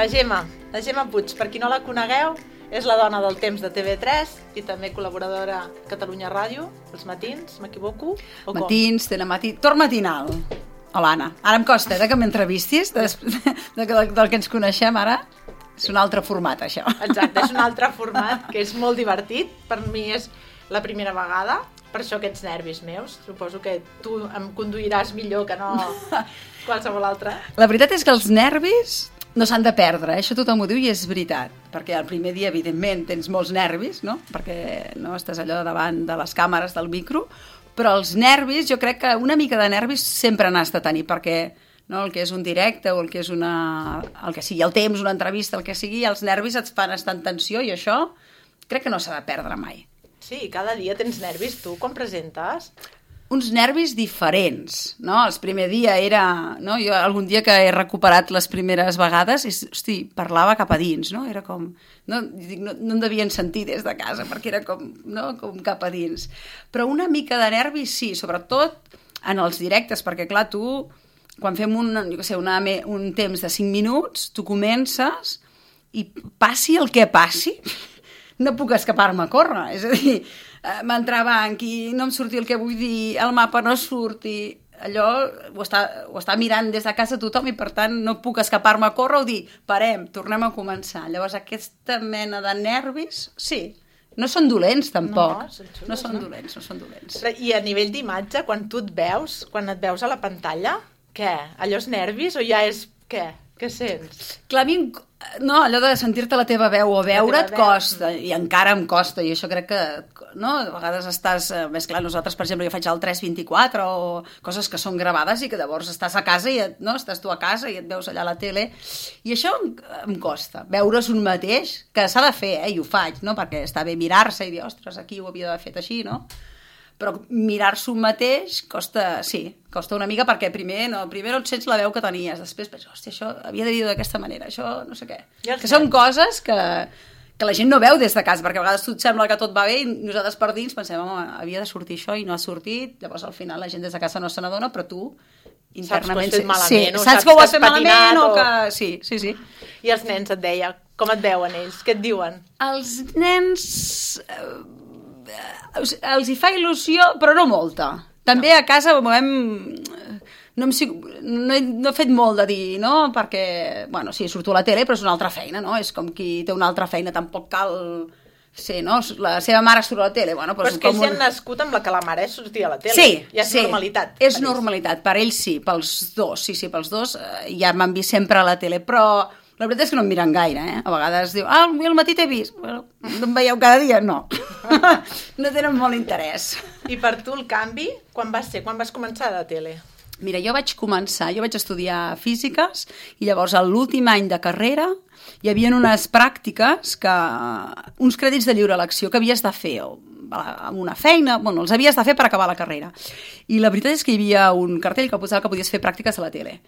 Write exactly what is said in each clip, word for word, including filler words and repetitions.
La Gemma, la Gemma Puig, per qui no la conegueu, és la dona del temps de T V tres i també col·laboradora a Catalunya Ràdio, els matins, m'equivoco? O matins, telematí... Torn matinal. Hola, Anna. Ara em costa, eh, que m'entrevistis, de, de, de, del que ens coneixem ara. És un altre format, això. Exacte, és un altre format que és molt divertit. Per mi és la primera vegada, per això aquests nervis meus. Suposo que tu em conduiràs millor que no qualsevol altre. La veritat és que els nervis no s'han de perdre, eh? Això tothom ho diu i és veritat, perquè el primer dia, evidentment, tens molts nervis, no? Perquè no estàs allò davant de les càmeres del micro, però els nervis, jo crec que una mica de nervis sempre n'has de tenir, perquè no, el que és un directe o el que és una... el que sigui, el temps, una entrevista, el que sigui, els nervis et fan estar en tensió i això crec que no s'ha de perdre mai. Sí, cada dia tens nervis, tu, quan presentes? Uns nervis diferents, no? El primer dia era... No? Jo algun dia que he recuperat les primeres vegades, és, hosti, parlava cap a dins, no? Era com... No, no, no em devien sentir des de casa, perquè era com, no? Com cap a dins. Però una mica de nervis, sí, sobretot en els directes, perquè, clar, tu, quan fem un, jo què sé, una, un temps de cinc minuts, tu comences i passi el que passi, no puc escapar-me a córrer, és a dir... m'entraven aquí, no em sortia el que vull dir, el mapa no surt i allò ho està, ho està mirant des de casa tothom i per tant no puc escapar-me a córrer o dir, parem, tornem a començar. Llavors aquesta mena de nervis, sí, no són dolents tampoc, no, xulos, no són no? dolents, no són dolents. I a nivell d'imatge, quan tu et veus, quan et veus a la pantalla, què? Allò és nervis o ja és què? Què sents? Clar, a mi, no, allò de sentir-te la teva veu o veure't costa, i encara em costa, i això crec que, no, a vegades estàs, més clar, nosaltres, per exemple, jo faig el tres vint-i-quatre o coses que són gravades i que llavors estàs a casa i, et, no, estàs tu a casa i et veus allà a la tele, i això em, em costa, veure's un mateix, que s'ha de fer, eh, i ho faig, no, perquè està bé mirar-se i dir, ostres, aquí ho havia d'haver fet així, no? Però mirar-se un mateix costa, sí, costa una mica perquè primer no, primer no et sents la veu que tenies, després penses, hòstia, això havia de dir d'aquesta manera, això no sé què. Que són coses que, que la gent no veu des de casa, perquè a vegades tu et sembla que tot va bé i nosaltres per dins pensem, home, havia de sortir això i no ha sortit, llavors al final la gent des de casa no se n'adona, però tu internament... Saps que ho has fet malament, sí, saps que ho has fet malament o que... Sí, sí, sí. I els nens et deia, com et veuen ells? Què et diuen? Els nens... els hi fa il·lusió, però no molta. També no. A casa hem... no, hem, no, he, no he fet molt de dir, no? Perquè, bueno, sí, surto a la tele, però és una altra feina, no? És com qui té una altra feina, tampoc cal... Sí, no? La seva mare surt a la tele. Bueno, però és que ells un... han nascut amb la que la mare és sortir a la tele. Sí, ja és sí, normalitat. És per normalitat, ells. Per ells sí, pels dos, sí, sí, pels dos, eh, ja m'han vist sempre a la tele, però... La veritat és que no em miren gaire, eh? A vegades diu, ah, al matí t'he vist. Bueno, no em veieu cada dia? No. No tenen molt interès. I per tu el canvi, quan va ser? Quan vas començar a la tele? Mira, jo vaig començar, jo vaig estudiar físiques i llavors a l'últim any de carrera hi havia unes pràctiques, que, uns crèdits de lliure elecció que havies de fer amb una feina, bueno, els havies de fer per acabar la carrera. I la veritat és que hi havia un cartell que posava que podies fer pràctiques a la tele.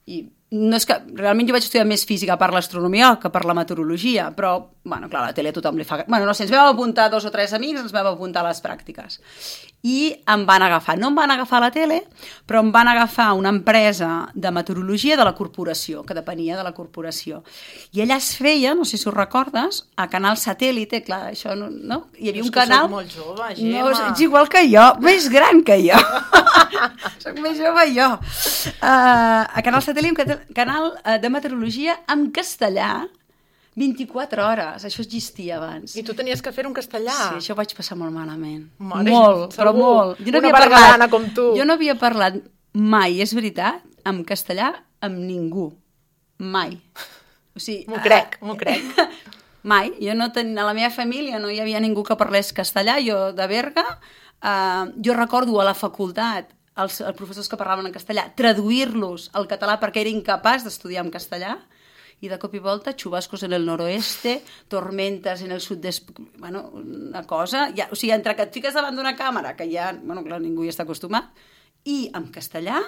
I no és que, realment jo vaig estudiar més física per l'astronomia que per la meteorologia, però, bueno, clar, a la tele a tothom li fa... Bueno, no sé, ens vam apuntar dos o tres amics, ens vam apuntar a les pràctiques. I em van agafar, no em van agafar a la tele, però em van agafar una empresa de meteorologia de la corporació, que depenia de la corporació. I allà es feia, no sé si ho recordes, a Canal Satèl·lite, clar, això no... no? Hi havia un canal... Soc molt jove, Gemma. No, ets igual que jo, més gran que jo. Soc més jove jo. Uh, a Canal Satèl·lite, un canal de meteorologia en castellà, vint-i-quatre hores, això existia abans. I tu tenies que fer un castellà? Sí, això ho vaig passar molt malament. Mare, molt, però molt. Jo no Una parlant, com tu. Jo no havia parlat mai, és veritat, en castellà amb ningú. Mai. O sigui, m'ho crec, uh, m'ho crec. Mai. Jo no ten... A la meva família no hi havia ningú que parlés castellà, jo de Berga. Uh, jo recordo a la facultat els, els professors que parlaven en castellà, traduir-los al català perquè era incapaç d'estudiar en castellà, i de cop i volta, chubascos en el noroeste, tormentas en el sud d'est... Bueno, una cosa... Ja, o sigui, entre que et fiques davant d'una càmera, que ja, bueno, clar, ningú hi està acostumat, i en castellà,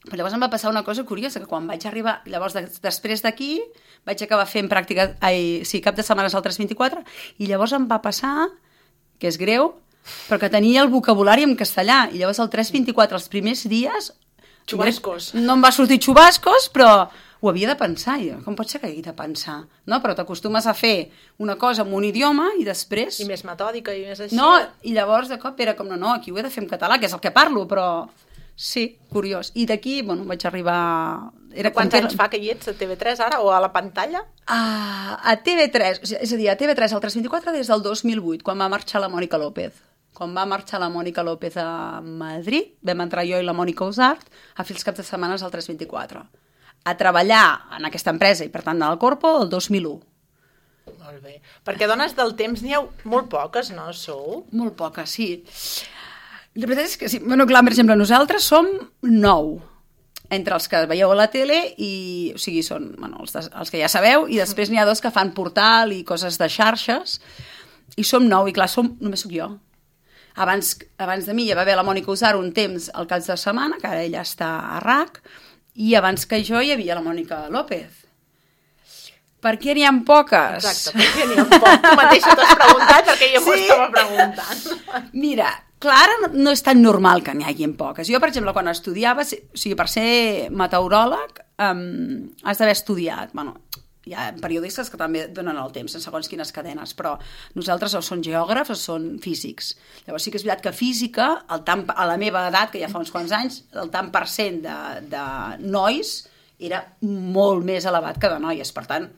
però llavors em va passar una cosa curiosa, que quan vaig arribar, llavors de, després d'aquí, vaig acabar fent pràctica, ai, sí, cap de setmanes al tres vint-i-quatre, i llavors em va passar, que és greu, però que tenia el vocabulari en castellà, i llavors el tres vint-i-quatre, els primers dies... Xubascos. No em va sortir xubascos, però ho havia de pensar, jo. Com pot ser que hagi de pensar? No? Però t'acostumes a fer una cosa en un idioma i després... I més metòdica i més així. No, i llavors de cop era com, no, no, aquí ho he de fer en català, que és el que parlo, però... Sí, curiós. I d'aquí, bueno, vaig arribar... Era Quants anys fa que hi ets a T V tres ara, o a la pantalla? A, a T V tres, és a dir, a T V tres al tres vint-i-quatre des del dos mil vuit, quan va marxar la Mònica López. Quan va marxar la Mònica López a Madrid, vam entrar jo i la Mònica Usart a fer els caps de setmanes al tres vint-i-quatre. A treballar en aquesta empresa i, per tant, al Corpo, el dos mil u. Molt bé. Perquè dones del temps n'hi ha molt poques, no, sou? Molt poques, sí. La veritat és que sí. Bueno, clar, per exemple, nosaltres som nou, entre els que veieu a la tele i, o sigui, són bueno, els, de, els que ja sabeu, i després n'hi ha dos que fan portal i coses de xarxes, i som nou, i clar, som, només sóc jo. Abans, abans de mi ja va haver la Mònica Usar un temps al cap de setmana, que ara ella està a R A C, i abans que jo hi havia la Mònica López. Per què n'hi ha poques? Exacte, per què n'hi ha poques? Tu mateixa t'has preguntat, perquè jo m'ho sí? estava preguntant. Mira, clar, ara no és tan normal que n'hi hagi poques. Jo, per exemple, quan estudiava, o sigui, per ser meteoròleg, um, has d'haver estudiat, bueno, hi ha periodistes que també donen el temps en segons quines cadenes, però nosaltres o són geògrafs o són físics. Llavors sí que és veritat que física, el tant, a la meva edat, que ja fa uns quants anys, el tant per cent de, de nois era molt més elevat que de noies. Per tant,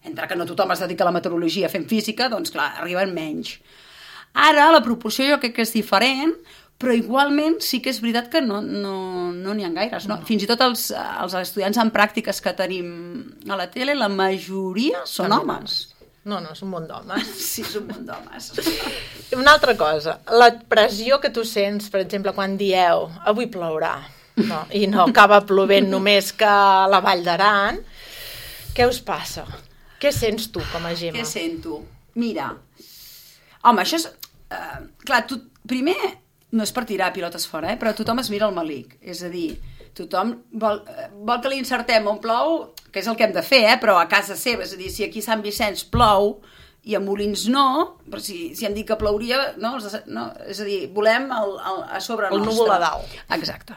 entre que no tothom es dedica a la meteorologia fent física, doncs clar, arriben menys. Ara la proporció jo crec que és diferent, però igualment sí que és veritat que no n'hi no, no ha gaires. No? No. Fins i tot els, els estudiants en pràctiques que tenim a la tele, la majoria són També homes. No, no, és un munt d'homes. Sí, és un munt d'homes. Una altra cosa, la pressió que tu sents, per exemple, quan dieu avui plourà, no, i no acaba plovent només que a la Vall d'Aran, què us passa? Què sents tu com a Gemma? Què sento? Mira, home, això és... Uh, clar, tu, primer... No és per tirar pilotes fora, eh? Però tothom es mira el malic. És a dir, tothom vol, vol que li insertem on plou, que és el que hem de fer, eh? Però a casa seva. És a dir, si aquí a Sant Vicenç plou i a Molins no, però si, si hem dit que plouria, no? no és a dir, volem el, el, a sobre el nostre. núvol a dalt. Exacte.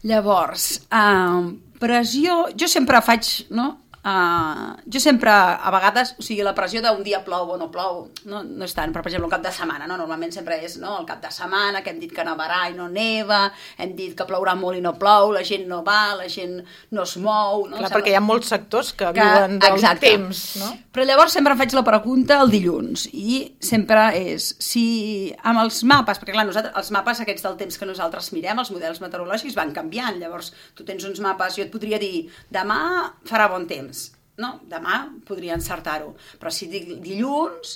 Llavors, eh, pressió... Jo sempre faig, no? Uh, jo sempre, a vegades, o sigui, la pressió d'un dia plou o no plou, no, no és tant, però per exemple un cap de setmana, no? Normalment sempre és no? El cap de setmana, que hem dit que nevarà i no neva, hem dit que plourà molt i no plou, la gent no va, la gent no es mou... No? Clar, perquè hi ha molts sectors que, que viuen del exacte. temps, no? Però llavors sempre em faig la pregunta el dilluns, i sempre és, si amb els mapes, perquè clar, nosaltres, els mapes aquests del temps que nosaltres mirem, els models meteorològics van canviant, llavors tu tens uns mapes, jo et podria dir, demà farà bon temps, no, demà podria encertar-ho, però si dic dilluns,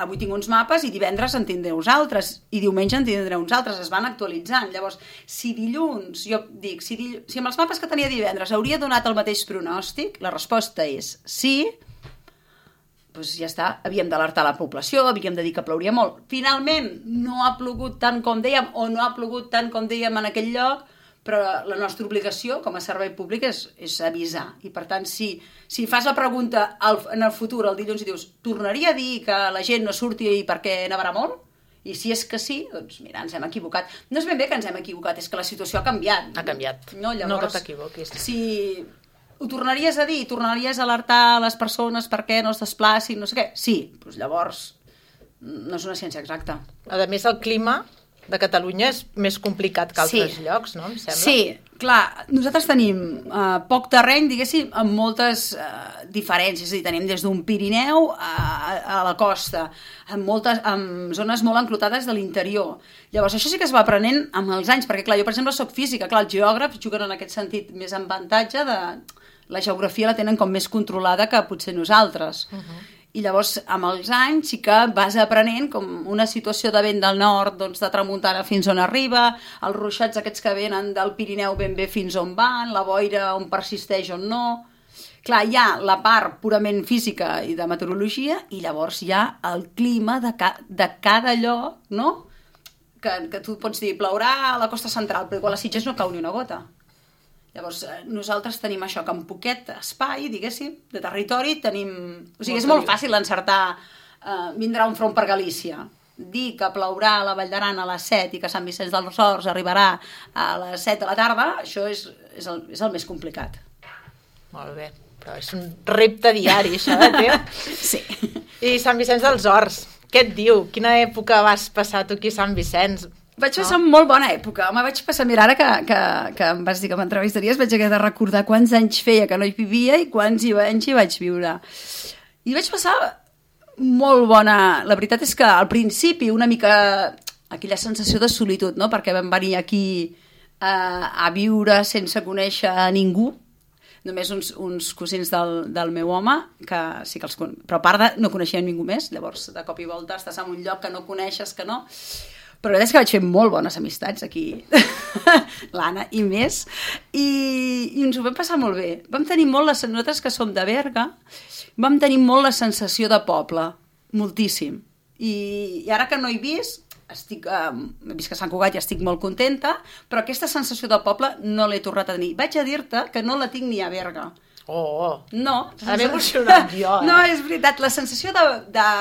avui tinc uns mapes i divendres en tindré uns altres i diumenge en tindré uns altres, es van actualitzant. Llavors, si dilluns, jo dic, si, dill... si amb els mapes que tenia divendres hauria donat el mateix pronòstic, la resposta és sí, doncs ja està, havíem d'alertar la població, havíem de dir que plouria molt. Finalment, no ha plogut tant com dèiem, o no ha plogut tant com dèiem en aquell lloc, però la nostra obligació com a servei públic és, és avisar. I per tant, si, si fas la pregunta al, en el futur, el dilluns, i dius, tornaria a dir que la gent no surti perquè nevarà molt? I si és que sí, doncs mira, ens hem equivocat. No és ben bé que ens hem equivocat, és que la situació ha canviat. Ha canviat, no, llavors, no que t'equivoquis. Si ho tornaries a dir, tornaries a alertar les persones perquè no es desplacin, no sé què? Sí, doncs llavors no és una ciència exacta. A més, el clima de Catalunya és més complicat que altres sí. llocs, no? Em sembla. Sí, clar, nosaltres tenim uh, poc terreny, diguéssim, amb moltes uh, diferències, és a dir, tenim des d'un Pirineu a, a la costa, amb, moltes, amb zones molt enclotades de l'interior. Llavors, això sí que es va aprenent amb els anys, perquè clar, jo per exemple soc física, clar, els geògrafs juguen en aquest sentit més en avantatge de... La geografia la tenen com més controlada que potser nosaltres. Uh-huh. I llavors, amb els anys, sí que vas aprenent com una situació de vent del nord, doncs de tramuntana fins on arriba, els ruixats aquests que venen del Pirineu ben bé fins on van, la boira on persisteix on no... Clar, hi ha la part purament física i de meteorologia, i llavors hi ha el clima de, ca de cada lloc, no? Que, que tu pots dir, plourà a la costa central, però igual a Sitges no cau ni una gota. Llavors, nosaltres tenim això, que en poquet espai, diguéssim, de territori, tenim... O sigui, és molt fàcil encertar, eh, vindrà un front per Galícia, dir que plourà a la Vall d'Aran a les set i que Sant Vicenç dels Horts arribarà a les set de la tarda, això és, és, el, és el més complicat. Molt bé, però és un repte diari, això, eh, tio? Sí. I Sant Vicenç dels Horts, què et diu? Quina època vas passar tu aquí a Sant Vicenç? Vaig passar no? molt bona època. Home, vaig passar, mira, ara que, que, que em vas dir que m'entrevistaries, vaig haver de recordar quants anys feia que no hi vivia i quants anys hi vaig viure. I vaig passar molt bona... La veritat és que al principi una mica aquella sensació de solitud, no? Perquè vam venir aquí eh, a viure sense conèixer a ningú, només uns, uns cosins del, del meu home, que sí que els con... però a part de no coneixia ningú més, llavors de cop i volta estàs en un lloc que no coneixes, que no... Però la veritat és que vaig fer molt bones amistats aquí, l'Anna i més, i, i ens ho vam passar molt bé. Vam tenir molt, les nosaltres que som de Berga, vam tenir molt la sensació de poble, moltíssim. I, i ara que no he vist, estic, eh, he vist que Sant Cugat i estic molt contenta, però aquesta sensació de poble no l'he tornat a tenir. Vaig a dir-te que no la tinc ni a Berga. Oh, no. Ara m'he emocionat jo, eh? No, és veritat, la sensació de... de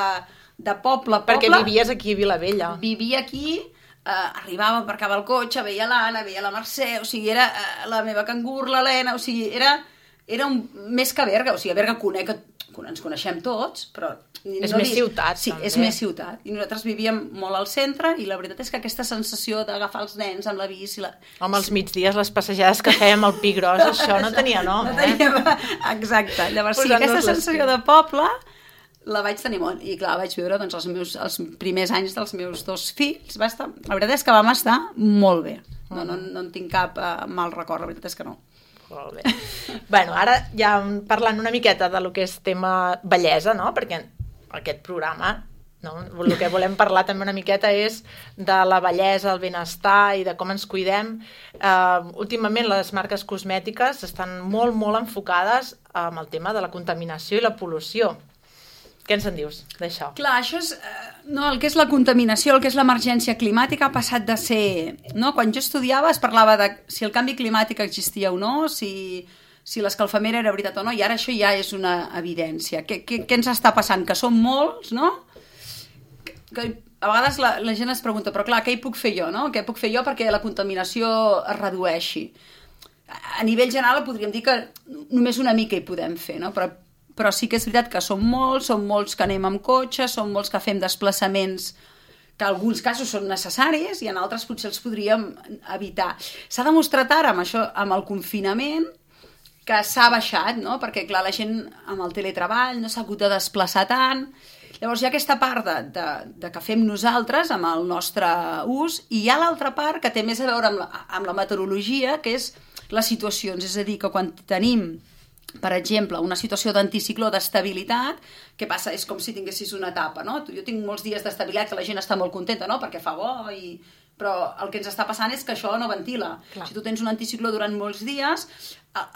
de poble, poble... Perquè vivies aquí a Vilavella. Vivia aquí, eh, arribava, aparcava el cotxe, veia l'Anna, veia la Mercè, o sigui, era eh, la meva cangur, l'Helena, o sigui, era, era un, més que Berga, o sigui, a Berga conec, ens coneixem tots, però... És no més dic, ciutat, sí, també. és més ciutat. I nosaltres vivíem molt al centre i la veritat és que aquesta sensació d'agafar els nens amb la bici... La... Home, als migdies, les passejades que fèiem al Pi Gros, això no tenia nom, no eh? Teníem... Exacte. Llavors, sí, aquesta sensació de poble... la vaig tenir molt, i clar, vaig viure doncs, els, meus, els primers anys dels meus dos fills, va estar, la veritat és que vam estar molt bé, no, no, no en tinc cap uh, mal record, la veritat és que no. Molt bé. Bueno, ara ja parlant una miqueta de lo que és tema bellesa, no? Perquè aquest programa, no? El que volem parlar també una miqueta és de la bellesa, el benestar i de com ens cuidem. Uh, últimament les marques cosmètiques estan molt, molt enfocades amb el tema de la contaminació i la pol·lució. Què ens en dius d'això? Clar, això és... Eh, no, el que és la contaminació, el que és l'emergència climàtica ha passat de ser... No? Quan jo estudiava es parlava de si el canvi climàtic existia o no, si, si l'escalfament era veritat o no, i ara això ja és una evidència. Què, què, què ens està passant? Que som molts, no? Que, que a vegades la, la gent es pregunta, però clar, què hi puc fer jo, no? Què puc fer jo perquè la contaminació es redueixi? A nivell general podríem dir que només una mica hi podem fer, no? Però però sí que és veritat que som molts, som molts que anem amb cotxe, som molts que fem desplaçaments que en alguns casos són necessaris i en altres potser els podríem evitar. S'ha demostrat ara amb això, amb el confinament, que s'ha baixat, no? Perquè clar, la gent amb el teletreball no s'ha hagut de desplaçar tant. Llavors hi ha aquesta part de, de, de que fem nosaltres amb el nostre ús i hi ha l'altra part que té més a veure amb la, amb la meteorologia, que és les situacions. És a dir, que quan tenim... per exemple, una situació d'anticicló d'estabilitat, què passa? És com si tinguessis una etapa, no? Jo tinc molts dies d'estabilitat que la gent està molt contenta, no? Perquè fa bo, i... però el que ens està passant és que això no ventila. Clar. Si tu tens un anticicló durant molts dies,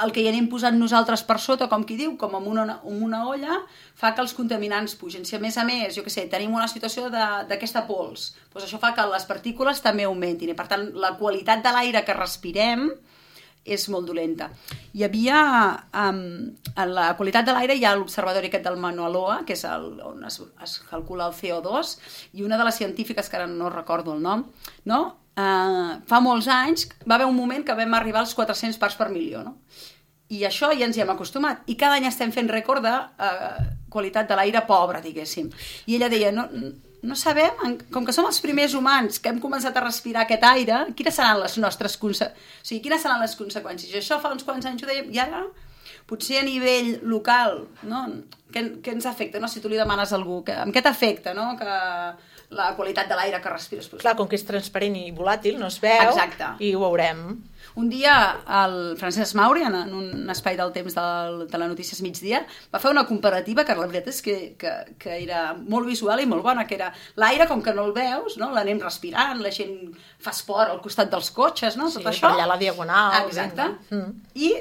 el que hi anem posant nosaltres per sota, com qui diu, com amb una, amb una olla, fa que els contaminants pugen. Si a més a més, jo què sé, tenim una situació d'aquesta pols, doncs això fa que les partícules també augmentin, i per tant la qualitat de l'aire que respirem és molt dolenta. Hi havia, um, en la qualitat de l'aire hi ha l'observatori aquest del Mauna Loa, que és el, on es, es calcula el C O dos, i una de les científiques, que ara no recordo el nom, no? Uh, fa molts anys va haver un moment que vam arribar als quatre-cents parts per milió, no? I això ja ens hi hem acostumat. I cada any estem fent rècord de uh, qualitat de l'aire pobre, diguéssim. I ella deia, no, no sabem, com que som els primers humans que hem començat a respirar aquest aire, quines seran les nostres conseqüències? O sigui, quines seran les conseqüències? I això fa uns quants anys ho dèiem, i ara, potser a nivell local, no? Què, què ens afecta, no? Si tu li demanes a algú, que, amb què t'afecta, no? Que la qualitat de l'aire que respires. Clar, com que és transparent i volàtil, no es veu. Exacte. I ho veurem. Un dia el Francesc Mauri, en un espai del temps del, de la Notícies Migdia, va fer una comparativa que la veritat és que, que, que era molt visual i molt bona, que era l'aire, com que no el veus, no? L'anem respirant, la gent fa esport al costat dels cotxes, no? Sí, tot això. per allà la diagonal. Exacte. Mm. I,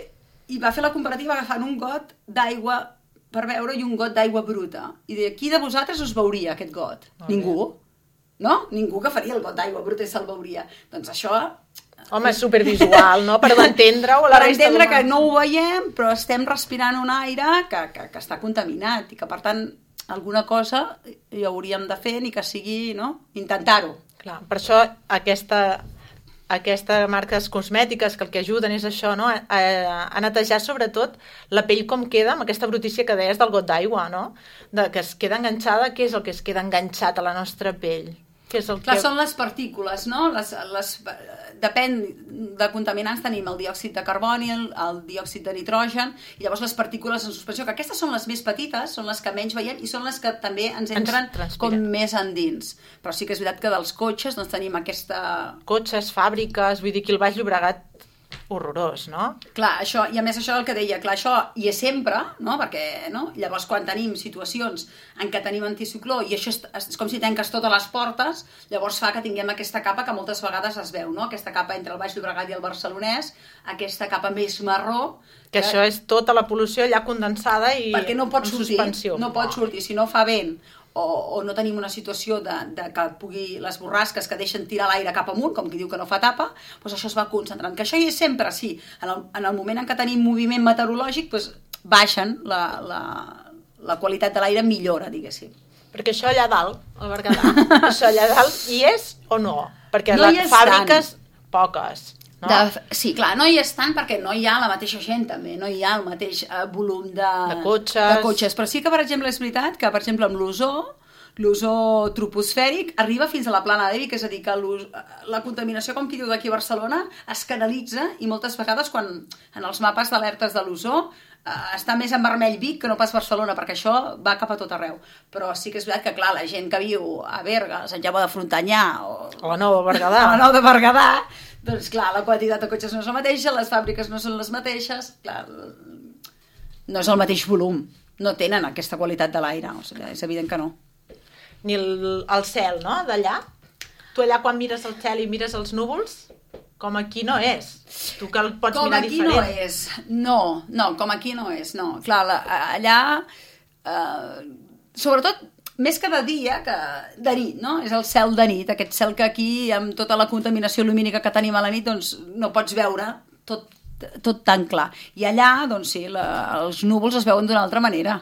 I va fer la comparativa agafant un got d'aigua per beure i un got d'aigua bruta. I deia, qui de vosaltres us veuria aquest got? Molt Ningú. bé. No? Ningú que faria el got d'aigua bruta i se'l veuria. Doncs això... Home, és supervisual, no? Per entendre-ho a la per resta entendre d'humans. que no ho veiem, però estem respirant un aire que, que, que està contaminat i que, per tant, alguna cosa hi hauríem de fer, ni que sigui, no? Intentar-ho. Clar, per això aquesta aquestes marques cosmètiques que el que ajuden és això, no? a, a netejar sobretot la pell com queda amb aquesta brutícia que deies del got d'aigua, no? De, que es queda enganxada, què és el que es queda enganxat a la nostra pell? Que és el Clar, que... són les partícules, no? Les, les, depèn de contaminants, tenim el diòxid de carboni, el, el diòxid de nitrogen, i llavors les partícules en suspensió, que aquestes són les més petites, són les que menys veiem, i són les que també ens entren ens com més endins. Però sí que és veritat que dels cotxes doncs, tenim aquesta... Cotxes, fàbriques, vull dir que el Baix Llobregat horrorós, no? Clar, això, i a més això el que deia, clar, això hi és sempre, no? Perquè, no? Llavors quan tenim situacions en què tenim anticicló i això és, és com si tanques totes les portes, llavors fa que tinguem aquesta capa que moltes vegades es veu, no? Aquesta capa entre el Baix Llobregat i el Barcelonès, aquesta capa més marró... Que, que això és tota la pol·lució allà condensada i perquè no pot sortir, suspensió. No pot sortir, si no fa vent o, o no tenim una situació de, de que pugui les borrasques que deixen tirar l'aire cap amunt, com qui diu que no fa tapa, doncs això es va concentrant. Que això hi és sempre, sí. En el, en el moment en què tenim moviment meteorològic, doncs baixen, la, la, la qualitat de l'aire millora, diguéssim. Perquè això allà dalt, al Berguedà, això allà dalt hi és o no? Perquè no les fàbriques, tant. Poques. No? De, sí, clar, no hi és tant perquè no hi ha la mateixa gent també, no hi ha el mateix eh, volum de, de, cotxes. de cotxes, però sí que per exemple és veritat que per exemple amb l'ozó, l'ozó troposfèric arriba fins a la plana de Vic, és a dir que la contaminació, com qui diu d'aquí a Barcelona, es canalitza i moltes vegades quan en els mapes d'alertes de l'ozó eh, està més en vermell Vic que no pas Barcelona, perquè això va cap a tot arreu. Però sí que és veritat que, clar, la gent que viu a Berga, a Sant Jaume de Frontanyà o, o a Nova Berguedà, a la Nova de Berguedà, doncs clar, la quantitat de cotxes no és la mateixa, les fàbriques no són les mateixes, clar, no és el mateix volum, no tenen aquesta qualitat de l'aire, o sigui, és evident que no. Ni el, el cel, no?, d'allà. Tu allà quan mires el cel i mires els núvols, com aquí no és. Tu que el pots com mirar diferent. Com aquí no és, no, no, com aquí no és, no. Clar, la, allà, eh, sobretot, més que de dia, que de nit, no? És el cel de nit, aquest cel que aquí, amb tota la contaminació lumínica que tenim a la nit, doncs no pots veure tot, tot tan clar. I allà, doncs sí, la, els núvols es veuen d'una altra manera.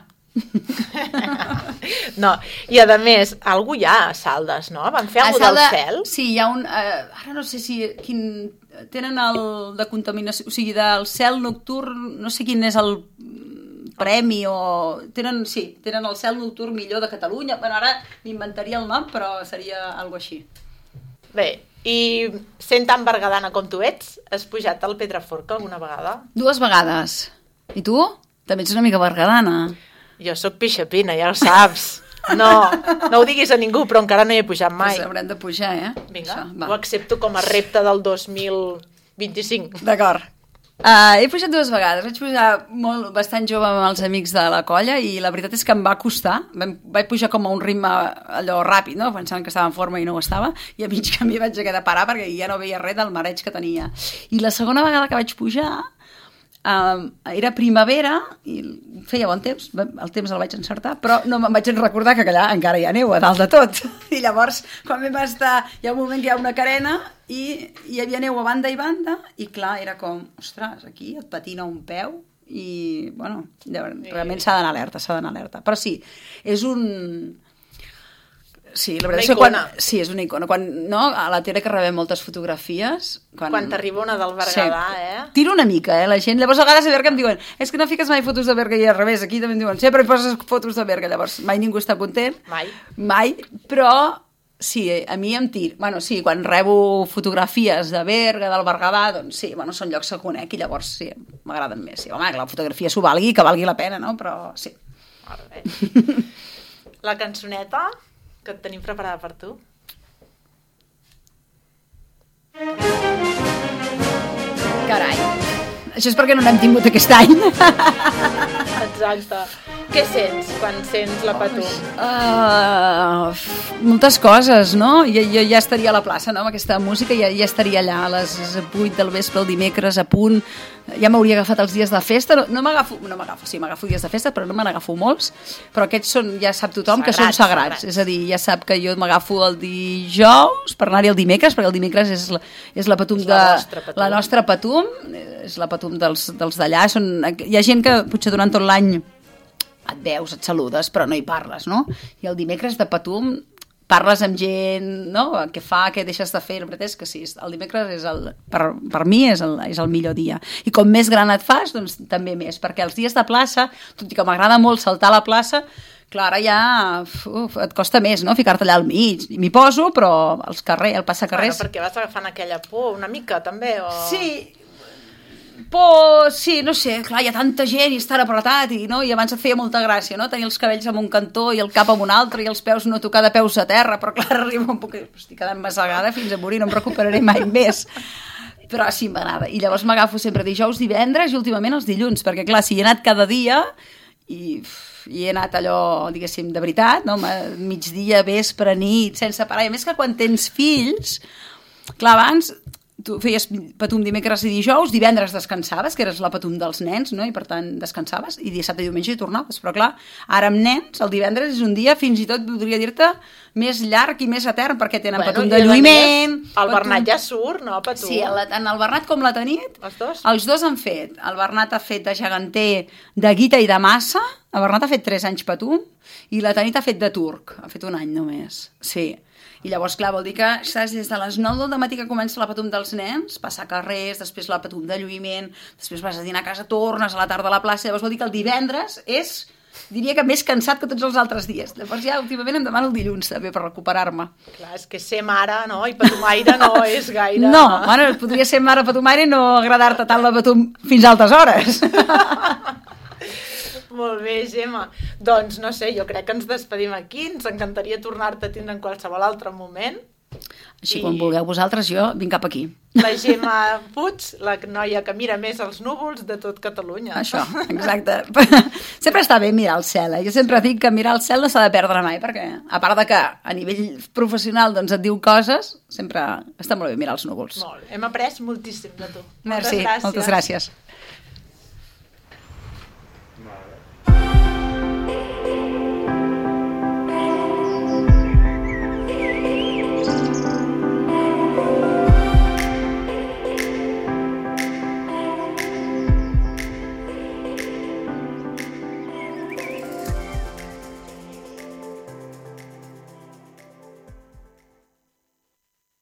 No, i a més, algú hi ha a Saldes, no? Van fer alguna del cel? Sí, hi ha un... Eh, ara no sé si... Quin, tenen el de contaminació... O sigui, del cel nocturn, no sé quin és el... premi o... Tenen, sí, tenen el cel nocturn millor de Catalunya. Bueno, ara m'inventaria el nom, però seria algo així. Bé, i sent tan berguedana com tu ets, has pujat al Pedraforca alguna vegada? Dues vegades. I tu? També ets una mica berguedana. Jo sóc pixapina, ja ho saps. No, no ho diguis a ningú, però encara no hi he pujat mai. Pues haurem de pujar, eh? Vinga, això, ho accepto com a repte del dos mil vint-i-cinc. D'acord. Uh, he pujat dues vegades, vaig pujar molt, bastant jove amb els amics de la colla i la veritat és que em va costar, Vam, vaig pujar com a un ritme allò ràpid, no? Pensant que estava en forma i no ho estava, i a mig camí vaig haver de parar perquè ja no veia res del mareig que tenia. I la segona vegada que vaig pujar uh, era primavera i feia bon temps, el temps el vaig encertar, però no me'n vaig recordar que allà encara hi ha neu a dalt de tot. I llavors, quan vam estar, hi ha un moment que hi ha una carena i hi havia neu a banda i banda i clar, era com, ostres, aquí et patina un peu i, bueno, realment s'ha d'anar alerta, s'ha d'anar alerta. Però sí, és un... Sí, la veritat és que quan... Sí, és una icona. Quan, no, a la tele que rebem moltes fotografies... Quan, quan t'arriba una del Berguedà, sí. eh? Tiro una mica, eh, la gent. Llavors a vegades a Berga em diuen és que no fiques mai fotos de Berga i al revés. Aquí també em diuen, sempre hi poses fotos de Berga. Llavors mai ningú està content. Mai. Mai, però... Sí, a mi em tiro. Bueno, sí, quan rebo fotografies de Berga, del Berguedà, doncs sí, bueno, són llocs que conec i llavors sí, m'agraden més. Sí, home, que la fotografia s'ho valgui, que valgui la pena, no? Però sí. La cançoneta que et tenim preparada per tu. Carai, això és perquè no n'hem tingut aquest any. Exacte. Què sents quan sents la Patum? Uh, moltes coses, no? Jo, jo ja estaria a la plaça, no? Amb aquesta música ja, ja estaria allà a les vuit del vespre, el dimecres, a punt. Ja m'hauria agafat els dies de festa. No, no m'agafo, no m'agafo, sí, m'agafo dies de festa, però no me n'agafo molts. Però aquests són, ja sap tothom sagrats, que són sagrats. sagrats. És a dir, ja sap que jo m'agafo el dijous per anar-hi el dimecres, perquè el dimecres és la, és la Patum de... La nostra Patum. La nostra Patum, és la Patum dels, dels d'allà. Són, hi ha gent que potser durant tot l'any et veus, et saludes, però no hi parles, no? I el dimecres de Patum parles amb gent, no? Què fa, què deixes de fer, la veritat és que sí, el dimecres és el, per, per mi és el, és el millor dia. I com més gran et fas, doncs també més, perquè els dies de plaça, tot i que m'agrada molt saltar a la plaça, clar, ara ja uf, et costa més, no?, ficar-te allà al mig. M'hi poso, però els carrers, el passacarrers... Bueno, perquè vas agafant aquella por una mica, també, o... Sí, por, sí, no sé, clar, hi ha tanta gent i és tan apretat, i, no? I abans et feia molta gràcia, no?, tenir els cabells en un cantó i el cap en un altre i els peus no tocar de peus a terra, però clar, arriba un poc... Estic quedant massegada fins a morir, no em recuperaré mai més. Però sí, m'agrada. I llavors m'agafo sempre dijous, divendres i últimament els dilluns, perquè clar, si hi he anat cada dia i... i he anat allò, diguéssim, de veritat, no? Migdia, vespre, nit, sense parar. I a més que quan tens fills, clar, abans tu feies patum dimecres i dijous, divendres descansaves, que eres la patum dels nens, no? I per tant descansaves, i dissabte i diumenge hi tornaves. Però clar, ara amb nens, el divendres és un dia, fins i tot podria dir-te, més llarg i més etern, perquè tenen bueno, patum de lluïment... El patum... Bernat ja surt, no, patum? Sí, el, tant el Bernat com la Tanit, els dos? Els dos han fet. El Bernat ha fet de geganter, de guita i de massa, el Bernat ha fet tres anys patum, i la Tanit ha fet de turc, ha fet un any només, sí. I llavors, clar, vol dir que estàs des de les nou del matí que comença la patum dels nens, passar carrers, després la patum de lluïment, després vas a dinar a casa, tornes a la tarda a la plaça, llavors vol dir que el divendres és, diria que més cansat que tots els altres dies. Llavors ja últimament em demano el dilluns també per recuperar-me. Clar, és que ser mare, no?, i patumaire no és gaire... No, bueno, podria ser mare patumaire i no agradar-te tant la patum fins a altes hores. Molt bé, Gemma. Doncs, no sé, jo crec que ens despedim aquí. Ens encantaria tornar-te a tindre en qualsevol altre moment. Així, I... quan vulgueu vosaltres, jo vinc cap aquí. La Gemma Puig, la noia que mira més els núvols de tot Catalunya. Això, exacte. Sempre està bé mirar el cel, eh? Jo sempre dic que mirar el cel no s'ha de perdre mai, perquè a part de que a nivell professional doncs, et diu coses, sempre està molt bé mirar els núvols. Molt. Hem après moltíssim de tu. Merci, moltes gràcies. Moltes gràcies.